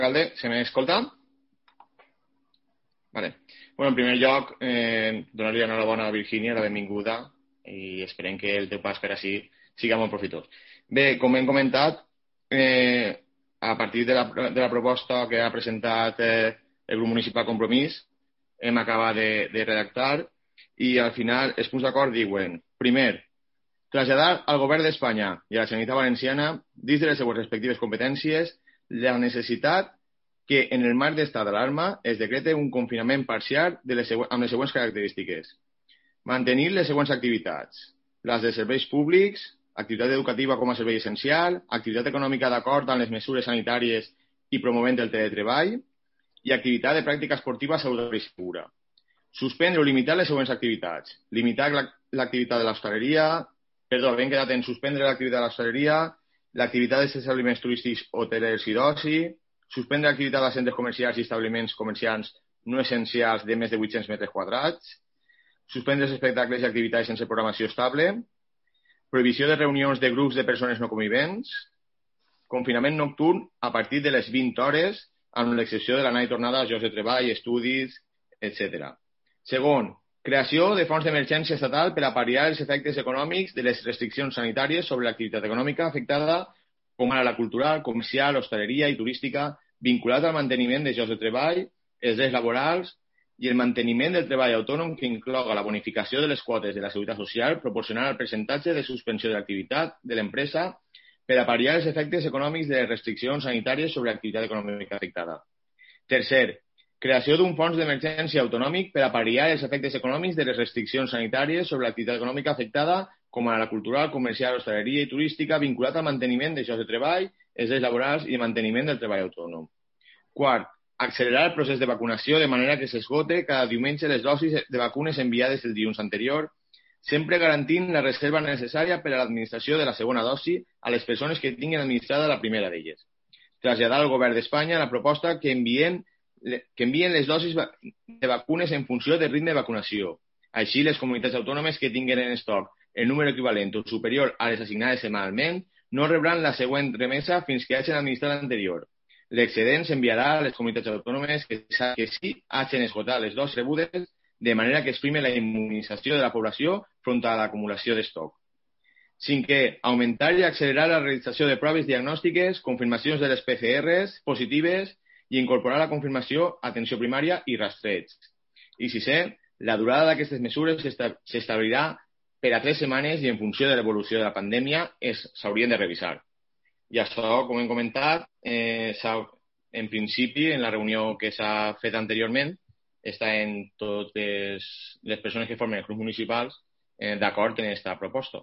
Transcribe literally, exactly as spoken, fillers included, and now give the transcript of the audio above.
alcalde, se m'escolta? Vale. Bueno, en primer lloc, eh, donar-li enhorabona a Virgínia, la benvinguda, i esperem que el teu pas per així siga molt profitós. Bé, com hem comentat, eh, a partir de la, de la proposta que ha presentat eh, el grup municipal Compromís, hem acabat de, de redactar i al final els punts d'acord diuen, primer, traslladar al govern d'Espanya i a la Generalitat Valenciana, dins de les seues respectives competències, la necessitat que en el marc d'estat d'alarma es decrete un confinament parcial de les següents, amb les següents característiques. Mantenir les següents activitats. Les de serveis públics, activitat educativa com a servei essencial, activitat econòmica d'acord amb les mesures sanitàries i promovent el teletreball i activitat de pràctica esportiva saludable i segura. Suspendre o limitar les següents activitats. Limitar l'activitat de l'hostaleria, perdó, havent quedat en suspendre l'activitat de l'hostaleria, l'activitat dels establiments turístics, hotelers i d'oci, suspendre l'activitat de centres comercials i establiments comercials no essencials de més de vuit-cents metres quadrats, suspendre els espectacles i activitats sense programació estable, prohibició de reunions de grups de persones no convivents, confinament nocturn a partir de les vint hores, amb l'excepció de l'anada i tornada als llocs de treball, estudis, etcètera. Segon, creació de fons d'emergència estatal per a pal·liar els efectes econòmics de les restriccions sanitàries sobre l'activitat econòmica afectada, com ara la cultural, comercial, hostaleria i turística, vinculat al manteniment de llocs de treball, els drets laborals i el manteniment del treball autònom que incloga la bonificació de les quotes de la Seguretat Social proporcionant el percentatge de suspensió de l'activitat de l'empresa per a pal·liar els efectes econòmics de les restriccions sanitàries sobre l'activitat econòmica afectada. Tercer, creació d'un fons d'emergència autonòmic per a pal·liar els efectes econòmics de les restriccions sanitàries sobre l'activitat econòmica afectada, com a la cultural, comercial, hostaleria i turística, vinculat al manteniment de llocs de treball, els drets laborals i el manteniment del treball autònom. Quart, accelerar el procés de vacunació de manera que s'esgote cada diumenge les dosis de vacunes enviades el dilluns anterior, sempre garantint la reserva necessària per a l'administració de la segona dosi a les persones que tinguin administrada la primera d'elles. Traslladar al govern d'Espanya la proposta que envien que envien les dosis de vacunes en funció del ritme de vacunació. Així, les comunitats autònomes que tinguin en estoc el número equivalent o superior a les assignades setmanalment no rebran la següent remesa fins que hagin administrat l'anterior. L'excedent s'enviarà a les comunitats autònomes que, que sí hagin esgotat les dosis rebudes, de manera que es prime la immunització de la població front a l'acumulació d'estoc. Cinquè, augmentar i accelerar la realització de proves diagnòstiques, confirmacions de les P C Rs positives i incorporar la confirmació, atenció primària i rastreig. I sisè, la durada d'aquestes mesures s'establirà per a tres setmanes i en funció de l'evolució de la pandèmia s'haurien de revisar. I això, com hem comentat, eh, en principi, en la reunió que s'ha fet anteriorment, està en totes les persones que formen els grups municipals eh, d'acord en aquesta proposta.